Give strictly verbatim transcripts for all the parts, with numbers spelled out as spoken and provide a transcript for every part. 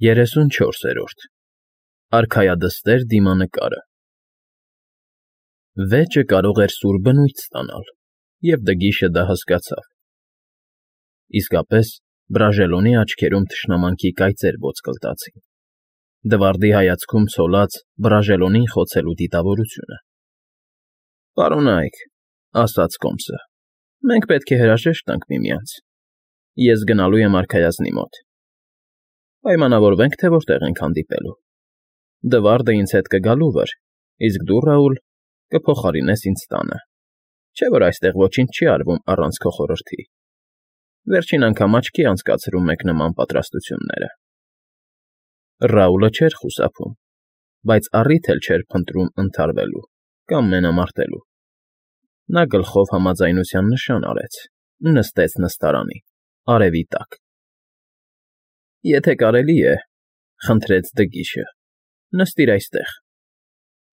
Երեսունչորսերորդ Արքայադստեր դիմանկարը Վեճը կարող էր սուր բնույթ ստանալ, և Դգիշը դա հասկացավ. իսկապես, Բրաժելոնի աչքերում թշնամանքի կայծեր ոսկլտացին, Դվարդի հայացքում ցոլած Բրաժելոնին խոցելու դիտավորությունը։ ֊ Պարոնա՛յք,֊ ասաց կոմսը,֊ մենք պետք է հրաժեշտ տանք միմյանց. ես գնալու եմ արքայազնի մոտ, պայմանավորվենք, թե որտեղ ենք հանդիպելու. Դվարդը ինձ հետ կգա լուվր, իսկ դու, Ռաուլ, կփոխարինես ինձ տանը, չէ՞ որ այստեղ ոչինչ չի արվում առանց քո խորհրդի. վերջին անգամ աչքի անցկացրում եք նման պատրաստությունները։ Ռաուլը չէր խուսափում, բայց առիթ էլ չէր փնտրում ընդհարվելու կամ մենամարտելու։ Նա գլխով համաձայնության նշան արեց ու նստեց նստարանի, արևի տակ։ ֊ Եթե կարելի է,֊ խնդրեց Դգիշը,֊ նստիր այստեղ,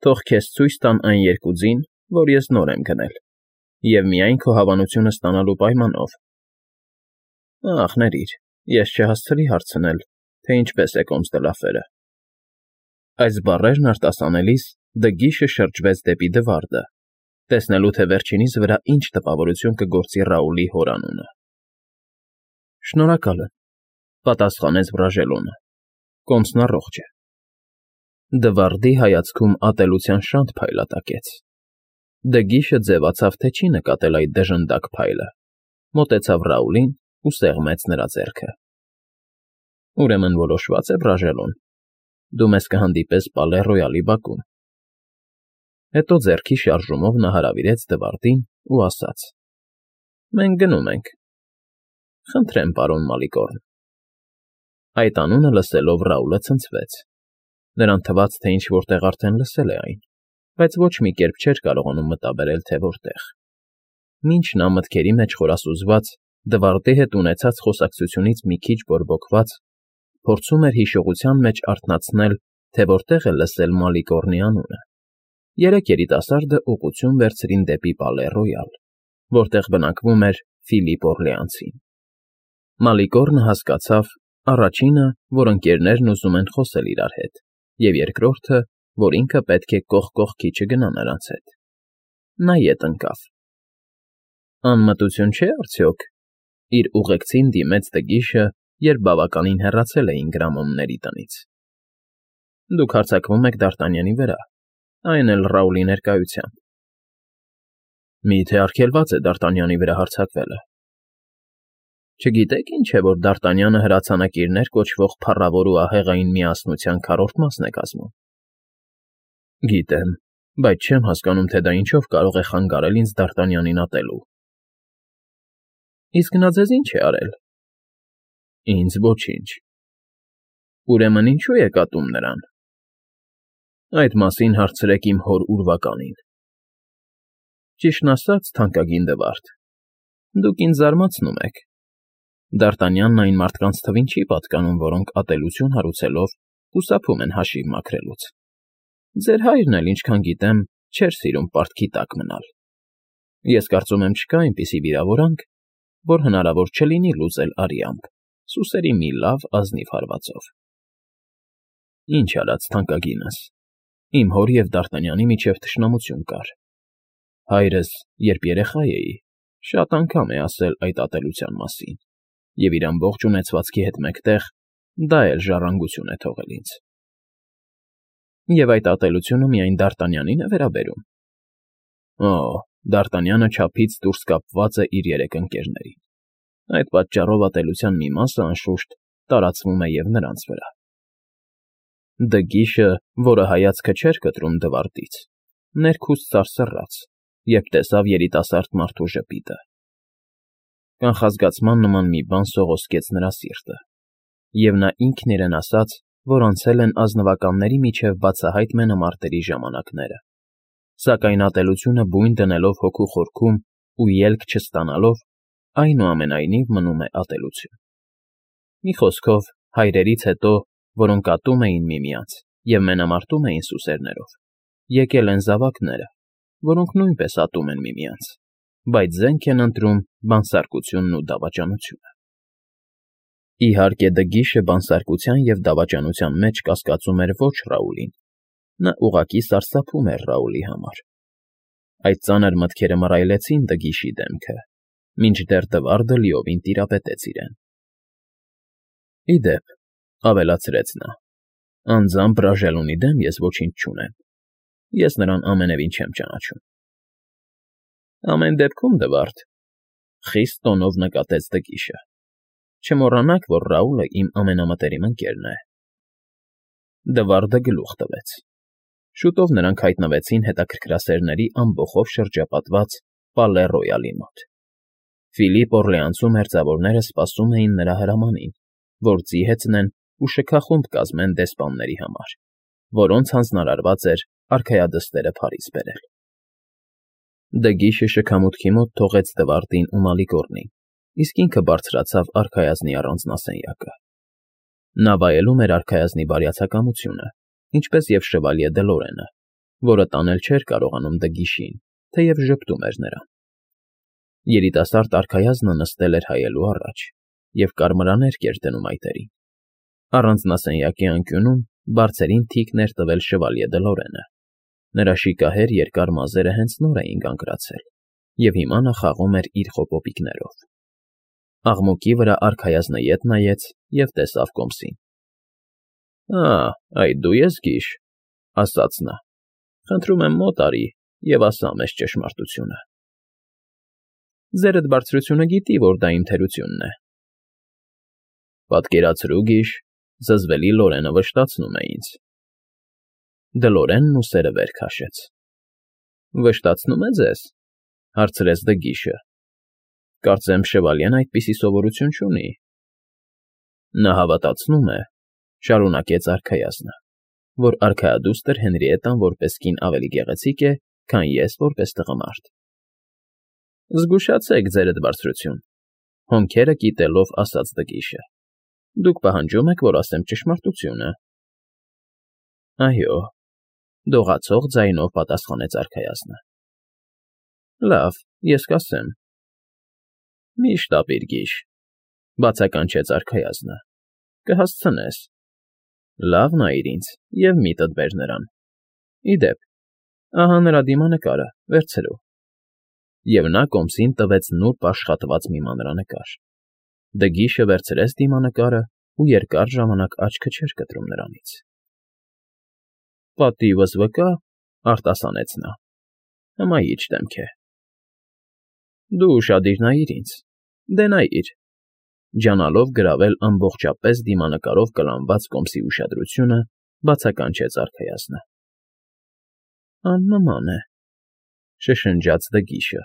թող քեզ ցույց տան այն երկուձին, որ ես նոր եմ գնել, և միայն քո հավանությունը ստանալու պայմանով։ Ախ, ներիր, ես չհասցրի հարցնել, թե ինչպես է կոմսդլաֆերը։ Այս բառերն արտասանելիս Դգիշը շրջվեց դեպի Դվարդը, տեսնելու, թե վերջինիս վրա ինչ տպավորություն կգործի Ռաուլի հորանունը։ ֊ Շնորհակալ եմ,֊ պատասխանեց Բրաժելոնը,֊ կոմսն առողջ է։ Դվարդի հայացքում ատելության շանթ փայլատակեց։ Դգիշը ձևացավ, թե չի նկատել այդ դժնդակ փայլը, մոտեցավ Ռաուլին ու սեղմեց նրա ձեռքը։ ֊ Ուրեմն որոշվա՞ծ է, Բրաժելոն, դու մեզ կհանդիպես Պալե Ռոյալի բակում։ Հետո ձեռքի շարժումով նա հրավիրեց Դվարդին ու ասաց. ֊ Մենք գնում ենք։ ֊ Խնդրեմ, պարոն Մալիգորն։ Այդ անունը լսելով Ռաուլը ցնցվեց. նրան թվաց, թե ինչ֊որ տեղ արդեն լսել է այն, բայց ոչ մի կերպ չէր կարողանում մտաբերել, թե որտեղ։ Մինչ նա մտքերի մեջ խորասուզված, Դվարդի հետ ունեցած խոսակցությունից մի քիչ բորբոքված, փորձում էր հիշողության մեջ արթնացնել, թե որտեղ է լսել Մալիգորնի անունը, երեք երիտասարդը ուղղություն վերցրին դեպի Պալե Ռոյալ, որտեղ բնակվում էր Ֆիլիպ Օռլեանցին։ Մալիգորնը հասկացավ, առաջինը, որ ընկերներն ուզում են խոսել իրար հետ, և երկրորդը, որ ինքը պետք է կողք կողքի չգնա նրանց հետ։ Նա ետ ընկավ։ ֊ Անմտություն չէ՞ արդյոք,֊ իր ուղեկցին դիմեց Դգիշը, երբ բավականին հեռացել էին գրամոմների տնից։ ֊ Դուք հարձակվում եք Դ'Արտանյանի վրա, այն էլ Ռաուլի ներկայությամբ։ ֊ Մի՞թե արգելված է Դ'Արտանյանի վրա հարձակվելը։ ֊ Չգիտե՞ք ինչ է, որ Դ'Արտանյանը հրացանակիրներ կոչվող փառավոր ու ահեղային միասնության քառորդ մասն է կազմում։ ֊ Գիտեմ, բայց չեմ հասկանում, թե դա ինչով կարող է խանգարել ինձ Դ'Արտանյանին ատելու։ ֊ Իսկ նա ձեզ ի՞նչ է արել։ ֊ Ինձ ոչինչ։ ֊ Ուրեմն ինչո՞ւ եք ատում նրան։ ֊ Այդ մասին հարցրեք իմ հոր ուրվականին։ ֊ Ճիշտն ասած, թանկագին Դվարդ, դուք ինձ զարմացնում եք։ Դ'Արտանյանն այն մարդկանց թվին չի պատկանում, որոնք ատելություն հարուցելով խուսափում են հաշիվ մաքրելուց։ Ձեր հայրն էլ, ինչքան գիտեմ, չէր սիրում պարտքի տակ մնալ։ Ես կարծում եմ, չկա այնպիսի վիրավորանք, որ հնարավոր չլինի լուծել արյամբ, սուսերի մի լավ ազնիվ հարվածով։ Ինչ արած, թանկագինս, իմ հոր և Դ'Արտանյանի միջև թշնամություն կար։ Հայրս, երբ երեխա էի, շատ անգամ է ասել այդ ատելության մասին, և իր ամբողջ ունեցվածքի հետ մեկտեղ դա էլ ժառանգություն է թողել ինձ։ ֊ Եվ այդ ատելությունը միայն Դ'Արտանյանին է վերաբերում։ ֊ Օ, Դ'Արտանյանը չափից դուրս կապված է իր երեք ընկերներին։ Այդ պատճառով ատելության մի մասը, անշուշտ, տարածվում է և նրանց վրա։ Դգիշը, որը հայացքը չէր կտրում Դվարդից, ներքուստ սարսռաց, երբ տեսավ երիտասարդ մարդու ժպիտը։ Կանխազգացման նման մի բան սողոսկեց նրա սիրտը, և նա ինքն իրեն ասաց, որ անցել են ազնվականների միջև բացահայտ մենամարտերի ժամանակները, սակայն ատելությունը բույն դնելով հոգու խորքում ու ելք չստանալով, այնուամենայնիվ մնում է ատելություն։ Մի խոսքով, հայրերից հետո, որոնք ատում էին միմյանց և մենամարտում էին սուսերներով, եկել են զավակները, որոնք նույնպես ատում են միմյանց, բայց զենք են ընտրում բանսարկությունն ու դավաճանությունը։ Իհարկե, Դգիշը բանսարկության և դավաճանության մեջ կասկածում էր ոչ Ռաուլին, նա ուղղակի սարսափում էր Ռաուլի համար. այդ ծանր մտքերը մռայլեցին Դգիշի դեմքը, մինչդեռ Դվարդը լիովին տիրապետեց իրեն։ Ի դեպ, ավելացրեց նա, անձամբ Բրաժելոնի դեմ ես ոչինչ չունեմ, ես նրան ամենևին չեմ ճանաչում։ Ամեն դեպքում, Դվարդ,֊ խիստ տոնով նկատեց Դգիշը,֊ չմոռանաք, որ Ռաուլը իմ ամենամտերիմ ընկերն է։ Դվարդը գլուխ տվեց։ Շուտով նրանք հայտնվեցին հետաքրքրասերների ամբոխով շրջապատված Պալե Ռոյալի մոտ։ Ֆիլիպ Օռլեանցու մերձավորները սպասում էին նրա հրամանին, որ ձի հեծնեն ու շքախումբ կազմեն դեսպանների համար, որոնց հանձնարարված էր արքայադստերը Փարիզ բերել։ Դգիշը շքամուտքի մոտ թողեց Դվարդին ու Մալիգորնին, իսկ ինքը բարձրացավ արքայազնի առանձնասենյակը։ Նա վայելում էր արքայազնի բարյացակամությունը, ինչպես և շվալյե Դլորենը, որը տանել չէր կարողանում Դգիշին, թեև ժպտում էր նրան։ Երիտասարդ արքայազնը նստել էր հայելու առաջ և կարմրաներ կեր դնում այտերին։ Առանձնասենյակի անկյունում բարձրին թիկն էր տվել շվալյե Դլորենը։ Նրա շիկահեր երկար մազերը հենց նոր էին կանգրացել, և հիմա նա խաղում էր իր խոպոպիկներով։ Աղմուկի վրա արքայազնը ետ նայեց և տեսավ կոմսին։ Ա, այդ դու ես, Գիշ,֊ ասաց նա, խնդրում եմ մոտ արի և ասա մեզ ճշմարտությունը։ Ձերդ բարձրությունը գիտի, որ դա իմ թերությունն է։ Պատկերացրու, Գիշ, զզվելի Լորենը վշտացնում է ինձ։ Դլորենն ուսերը վեր քաշեց։ Վշտացնո՞ւմ է ձեզ,֊ հարցրեց Դգիշը։ Կարծեմ շվալյեն այդպիսի սովորություն չունի։ Նա հավատացնում է,֊ շարունակեց արքայազնը,֊ որ արքայադուստր Հենրիետան որպես կին ավելի գեղեցիկ է, քան ես որպես տղամարդ։ Զգուշացեք, ձերդ բարձրություն,֊ հոնքերը կիտելով ասաց Դգիշը։ Դուք պահանջում եք, որ ասեմ ճշմարտությունը։ Այո,֊ դողացող ձայնով պատասխանեց արքայազնը։ Լավ, ես կասեմ։ Միշտ ապիր, Գիշ,֊ բացականչեց արքայազնը,֊ կհասցնես։ Լավ նայիր ինձ և միտդ բեր նրան։ Ի դեպ, ահա նրա դիմանկարը, վերցրու։ Եվ նա կոմսին տվեց նուրբ աշխատված մի մանրանկար։ Դգիշը վերցրեց դիմանկարը ու երկար ժամանակ աչքը չէր կտրում նրանից։ Պատիվս վկա,֊ արտասանեց նա,֊ հմայիչ դեմք է։ Դու ուշադիր նայիր ինձ, դե նայիր,֊ ջանալով գրավել ամբողջապես դիմանկարով կլանված կոմսի ուշադրությունը, բացականչեց արքայազնը։ Աննման է,֊ շշնջաց Դգիշը։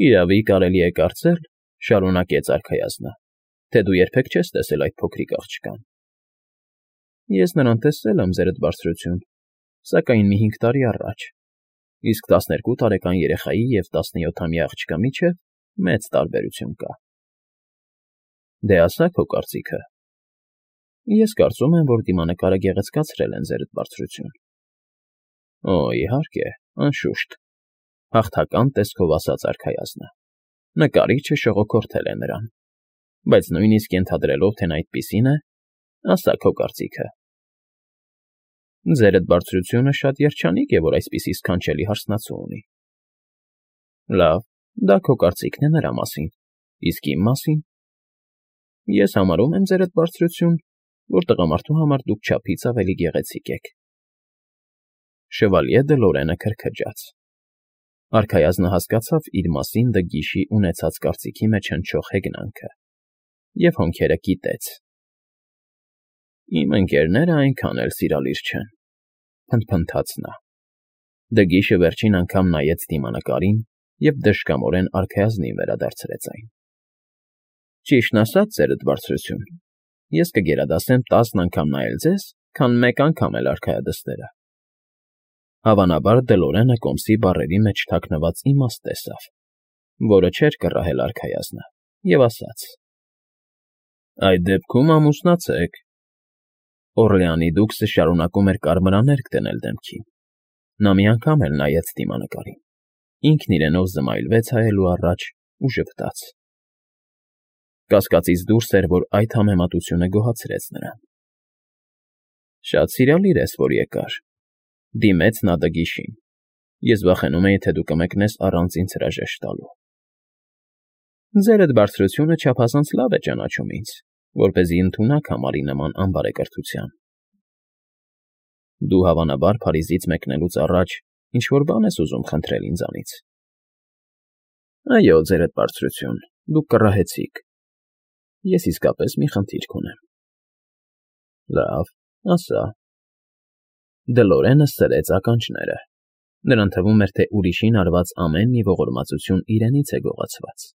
Իրավի կարելի է կարծել,֊ շարունակեց արքայազնը,֊ թե դու երբեք չես տեսել այդ փոքրիկ աղջկան։ Ես նրան տեսել եմ, ձերդ բարձրություն, սակայն մի հինգ տարի առաջ, իսկ տասներկու տարեկան երեխայի և տասնյոթամյա աղջկա միջև մեծ տարբերություն կա։ Դե ասա քո կարծիքը։ Ես կարծում եմ, որ դիմանկարը գեղեցկացրել են, ձերդ բարձրություն։ Օ, իհարկե, անշուշտ,֊ հաղթական տեսքով ասաց արքայազնը։ Նկարիչը շողոքորթել է նրան, բայց նույնիսկ ենթադրելով, թե նա այդպիսին է, ասա քո կարծիքը։ Ձերդ բարձրությունը շատ երջանիկ է, որ այսպիսի սքանչելի հարսնացու ունի։ Լավ, դա քո կարծիքն է նրա մասին, իսկ իմ մասին։ Ես համարում եմ, ձերդ բարձրություն, որ տղամարդու համար դուք չափից ավելի գեղեցիկ եք։ Շվալյե Դլորենը քրքջաց։ Արքայազնը հասկացավ իր մասին Դգիշի ունեցած կարծիքի մեջ հնչող հեգնանքը և հոնքերը կիտեց։ Իմ ընկերները այնքան էլ սիրալիր չեն,֊ փնթփնթաց նա։ Դգիշը վերջին անգամ նայեց դիմանկարին և դժկամորեն արքայազնին վերադարձրեց այն։ Ճիշտն ասած, ձերդ բարձրություն, ես կգերադասեմ տասն անգամ նայել ձեզ, քան մեկ անգամ էլ արքայադստերը։ Հավանաբար Դլորենը կոմսի բառերի մեջ թաքնված իմաստ տեսավ, որը չէր կռահել արքայազնը, և ասաց. Այդ դեպքում ամուսնացեք։ Օռլեանի դուքսը շարունակում էր կարմրաներկ դնել դեմքին։ Նա մի անգամ էլ նայեց դիմանկարին, ինքն իրենով զմայլվեց հայելու առաջ ու ժպտաց։ Կասկածից դուրս էր, որ այդ համեմատությունը գոհացրեց նրան։ Շատ սիրալիր ես, որ եկար,֊ դիմեց նա Դգիշին։ Ես վախենում էի, թե դու կմեկնես առանց ինձ հրաժեշտ տալու։ Ձերդ բարձրությունը չափազանց լավ է ճանաչում ինձ, որպեսզի ընդունակ համարի նման անբարեկրթության։ Դու հավանաբար Փարիզից մեկնելուց առաջ ինչ-որ բան ես ուզում խնդրել ինձանից։ Այո, ձերդ բարձրություն, դուք կռահեցիք։ Ես իսկապես մի խնդիր կունեմ։ Լավ, ասա։ Դլորենը սրեց ականջները։ Նրան թվում էր, թե ուրիշին արված ամեն մի ողորմածություն իրենից է գողացված։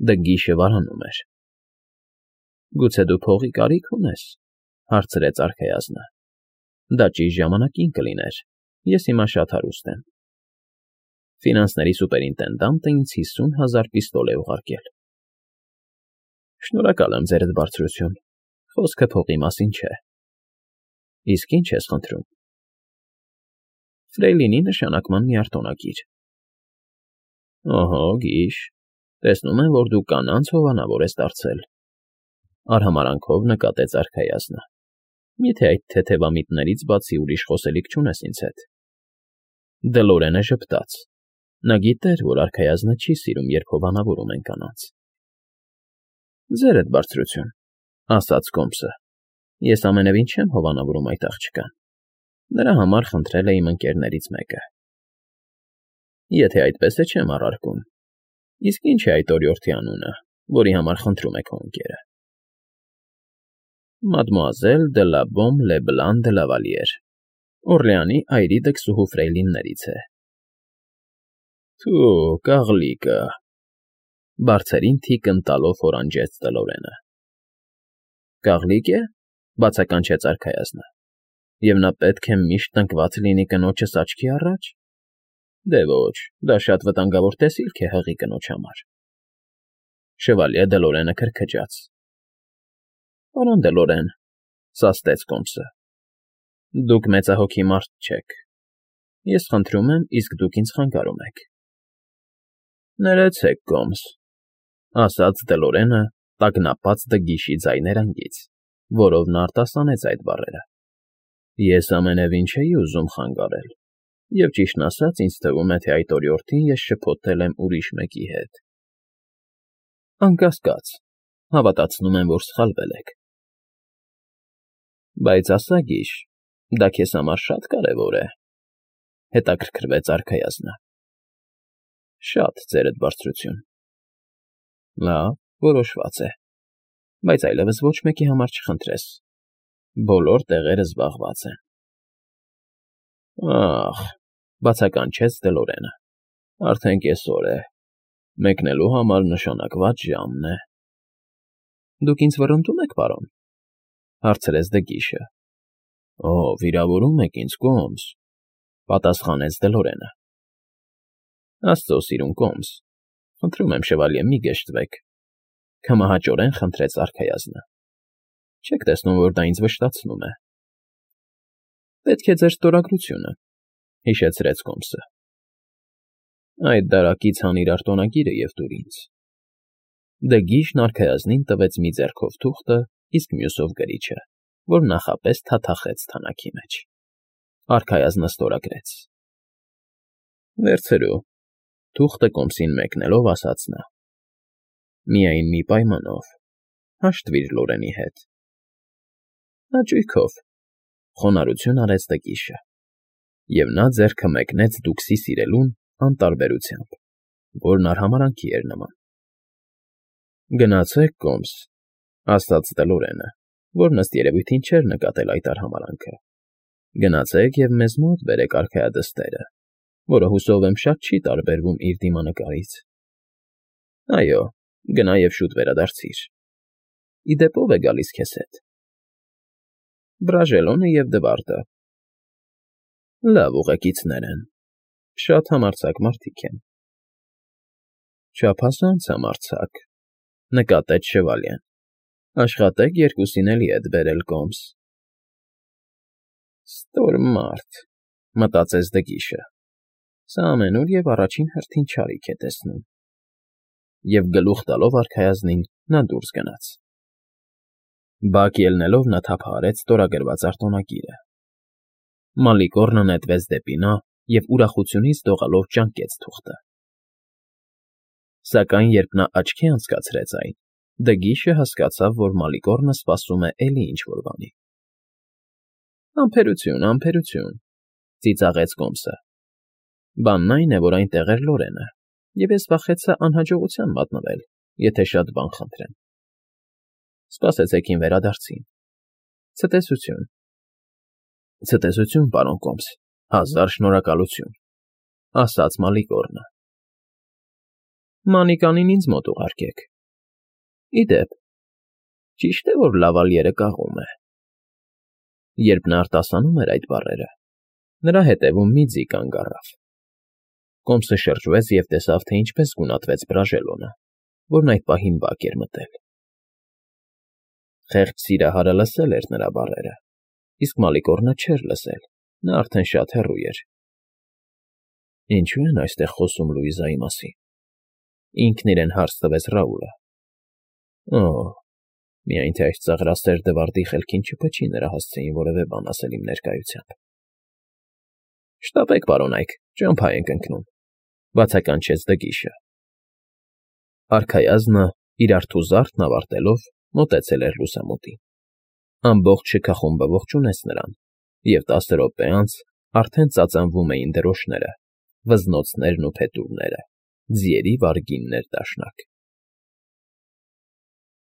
Դգիշը վարանում էր։ Գուցե դու փողի կարիք ունես,֊ հարցրեց արքայազնը։ Դա ճիշտ ժամանակին կլիներ, ես հիմա շատ հարուստ եմ։ Ֆինանսների սուպերինտենդանտը ինձ հիսուն հազար պիստոլ է ուղարկել։ Շնորհակալ եմ, ձերդ բարձրություն, խոսքը փողի մասին չէ։ Իսկ ի՞նչ ես խնդրում։ Ֆրեյլինի նշանակման մի արտոնակիր։ Օհո, գիշ, տեսնում եմ, որ դու կանանց հովանավոր ես դարձել,֊ արհամարանքով նկատեց արքայազնը։ Միթե այդ թեթևամիտներից բացի ուրիշ խոսելիք չունես ինձ հետ։ Դլորենը ժպտաց։ Նա գիտեր, որ արքայազնը չի սիրում, երբ հովանավորում են կանանց։ Ձերդ բարձրություն,֊ ասաց Կոմսը, ես ամենևին չեմ հովանավորում այդ աղջկան։ Նրա համար խնդրել է իմ ընկերներից մեկը։ Եթե այդպես է, չեմ առարկում։ Իսկ ի՞նչ է այդ օրիորդի անունը, որի համար խնդրում է քո ընկերը։ Մադմուազել դե լա Բոմ Լեբլան դե Լավալիեր, Օրլեանի այրի դքսուհու ֆրեյլիններից է։ Թու, կաղլիկը,֊ բարձերին թիկն տալով հորանջեց Դլորենը։ Կաղլիկ է,֊ բացականչեց արքայազնը։ Եվ նա պետք է միշտ տնկված լինի կնոջս աչքի առաջ։ Դե ոչ, դա շատ վտանգավոր տեսիլք է հղի կնոջ համար։ Շևալյե Դլորենը քրքջաց։ Պարոն Դլորեն,֊ սաստեց Կոմսը,֊ դուք մեծահոգի մարդ չեք։ Ես խնդրում եմ, իսկ դուք ինձ խանգարում եք։ Ներեցեք, Կոմս,֊ ասաց Դլորենը տագնապած Դգիշի ձայներանգից, որով նա արտասանեց այդ բառերը։ Ես ամենևին չէի ուզում խանգարել, և ճիշտն ասած, ինձ թվում է, թե այդ օրիորդին ես շփոթել եմ ուրիշ մեկի հետ։ Անկասկած, հավատացնում եմ, որ սխալվել եք։ Բայց ասա, գիշ, դա քեզ համար շատ կարևոր է,֊ հետաքրքրվեց արքայազնը։ Շատ, ձերդ բարձրություն։ Լավ, որոշված է, բայց այլևս ոչ մեկի համար չխնդրես։ Բոլոր տեղերը զբաղված են։ Ախ,֊ բացականչեց Դլորենը,֊ արդեն կեսօր է, մեկնելու համար նշանակված ժամն է։ Դուք ինձ վռնդում եք, պարոն,֊ հարցրեց Դգիշը։ Օ, վիրավորում եք ինձ, Կոմս,֊ պատասխանեց Դլորենը։ Աստծո սիրուն Կոմս, խնդրում եմ, շևալյե, մի գժտվեք,֊ քմահաճորեն խնդրեց արքայազնը։ Չեք տեսնում, որ դա ինձ վշտացնում է։ Պետք է ձեր ստորագրությունը,֊ հիշեցրեց Կոմսը։ Այդ դարակից հանիր արտոնագիրը և տուր ինձ։ Դգիշն արքայազնին տվեց մի ձեռքով թուղթը, իսկ մյուսով գրիչը, որ նախապես թաթախեց թանաքի մեջ։ Արքայազնը ստորագրեց։ Վերցրու,֊ թուղթը Կոմսին մեկնելով ասաց նա։ Միայն մի պայմանով, հաշտվիր Լորենի հետ։ Հաճույքով,֊ խոնարհություն արեց Դգիշը, և նա ձեռքը մեկնեց դուքսի սիրելուն անտարբերությամբ, որն արհամարանքի էր նման։ Գնացեք, Կոմս,֊ ասաց Դլորենը, որն ըստ երևույթին չէր նկատել այդ արհամարանքը։ Գնացեք և մեզ մոտ բերեք արքայադստերը, որը հուսով եմ շատ չի տարբերվում իր դիմանկարից։ Այո, գնա և շուտ վերադարձիր։ Ի դեպ ո՞վ է գալիս քեզ հետ։ Բրաժելոնը և Դվարդը։ Լավ ուղեկիցներ են, շատ համարձակ մարդիկ են։ Չափազանց համարձակ,֊ նկատեց շևալյեն։ Աշխատեք երկուսին էլ ետ բերել, Կոմս։ Ստոր մարդ,֊ մտածեց Դգիշը։ Սա ամենուր և առաջին հերթին չարիք է տեսնում։ և գլուխ տալով արքայազնին նա դուրս գնաց։ Բակ ելնելով նա թափահարեց ստորագրված արտոնագիրը։ Մալիկոռնը նետվեց դեպի նա և ուրախությունից դողալով ճանկեց թուղթը։ Սակայն երբ նա աչքի անցկացրեց այն, Դգիշը հասկացավ, որ Մալիկոռնը սպասում է էլի ինչ֊որ բանի։ ֊ Համբերություն, համբերություն,֊ ծիծաղեց կոմսը։ Բանն այն է, որ այնտեղ էր Լորենը, և ես վախեցա անհաջողության մատնվել, եթե շատ բան խնդրեմ։ Սպասեցեք իմ վերադարձին։ Ցտեսություն։ ֊ Ցտեսություն, պարոն կոմս, հազար շնորհակալություն,֊ ասաց Մալիկոռնը։ Մանիկանին ինձ մոտ ուղարկեք։ Ի դեպ, ճիշտ է, որ լավալիերը կաղում է։ Երբ նա արտասանում էր այդ բառերը, նրա հետևում մի ձի կանգ առավ։ Կոմսը շրջվեց և տեսավ, թե ինչպես գունատվեց Բրաժելոնը, որն այդ պահին բակ էր մտել։ Խեղճ սիրահարը լսել էր նրա բառերը, իսկ Մալիկոռնը չէր լսել, նա արդեն շատ հեռու էր։ Ինչո՞ւ են այստեղ խոսում Լուիզայի մասին, ինքն իրեն հարց տվեց Ռաուլը։ Օ՜, միայն թե այս ծաղրասեր դվարդի խելքին չփչի նրա հասցեին որևէ բան ասել իմ ներկայությամբ։ Շտապեք, պարոնայք, ճամփա ենք ընկնում,֊ բացականչեց Դգիշը։ Արքայազնը, իր արթուզարդն ավարտելով, մոտեցել էր լուսամուտին։ Ամբողջ շքախումբը ողջունեց նրան, և տասը րոպե անց արդեն ծածանվում էին դրոշները, վզնոցներն ու փետուրները, ձիերի վարգին ներդաշնակ։